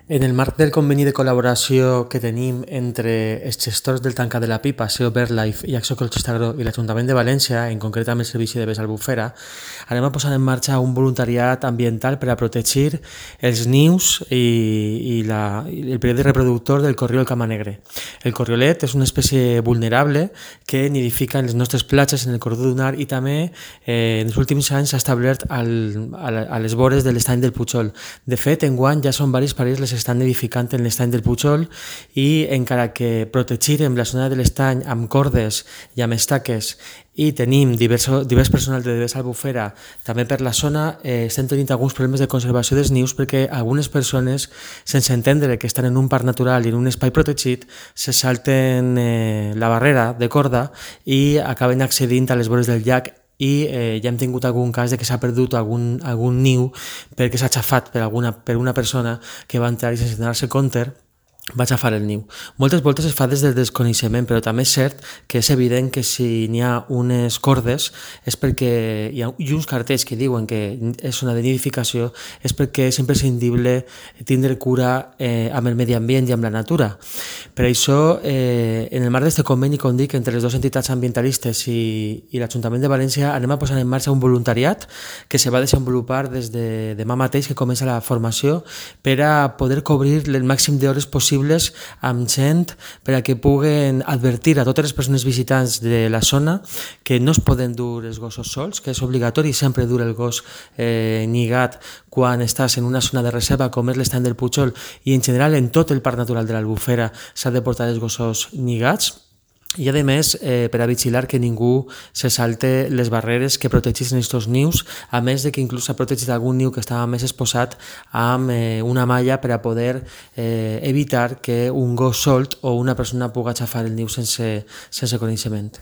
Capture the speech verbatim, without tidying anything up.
En el marc del conveni de col·laboració que tenim entre els gestors del Tancat de la Pipa, S E O BirdLife i Acció Ecologistes Agro i l'Ajuntament de València, en concret amb el Servici de Vés Albufera, anem a posar en marxa un voluntariat ambiental per a protegir els nius i, i, la, i el període reproductor del corriol camanegre. El corriolet és una espècie vulnerable que nidifica en les nostres platges, en el corredor dunar, i també eh, en els últims anys s'ha establert al, a les vores de l'estany del Pujol. De fet, enguany ja són diversos parells les estan edificant en l'estany del Pujol i encara que protegirem la zona de l'estany amb cordes i amb estaques i tenim diverso, divers personal de Vés Albufera també per la zona, eh, estem tenint alguns problemes de conservació dels nius perquè algunes persones, sense entendre que estan en un parc natural i en un espai protegit, se salten eh, la barrera de corda i acaben accedint a les vores del llac i eh, ja hem tingut algun cas de que s'ha perdut algun, algun niu perquè s'ha aixafat per, alguna, per una persona que va entrar i sense donar-se compte va aixafar el niu. Moltes voltes es fa des del desconeixement, però també és cert que és evident que si n'hi ha unes cordes és perquè hi ha i uns cartells que diuen que és zona de nidificació, és perquè és imprescindible tindre cura eh, amb el medi ambient i amb la natura. Per això, eh, en el marc d'aquest conveni, com dic, entre les dues entitats ambientalistes i, i l'Ajuntament de València, anem a posar en marxa un voluntariat que se va desenvolupar des de demà mateix, que comença la formació, per a poder cobrir el màxim d'hores possibles amb gent per a que puguen advertir a totes les persones visitants de la zona que no es poden dur els gossos sols, que és obligatori sempre dur el gos eh, lligat quan estàs en una zona de reserva com és l'estany del Pujol i en general en tot el parc natural de l'Albufera s'ha de portar els gossos lligats. I a més, eh, per a vigilar que ningú se salte les barreres que protegeixen aquests nius, a més de que inclús s'ha protegit algun niu que estava més exposat amb eh, una malla per a poder eh, evitar que un gos solt o una persona pugui aixafar el niu sense, sense coneixement.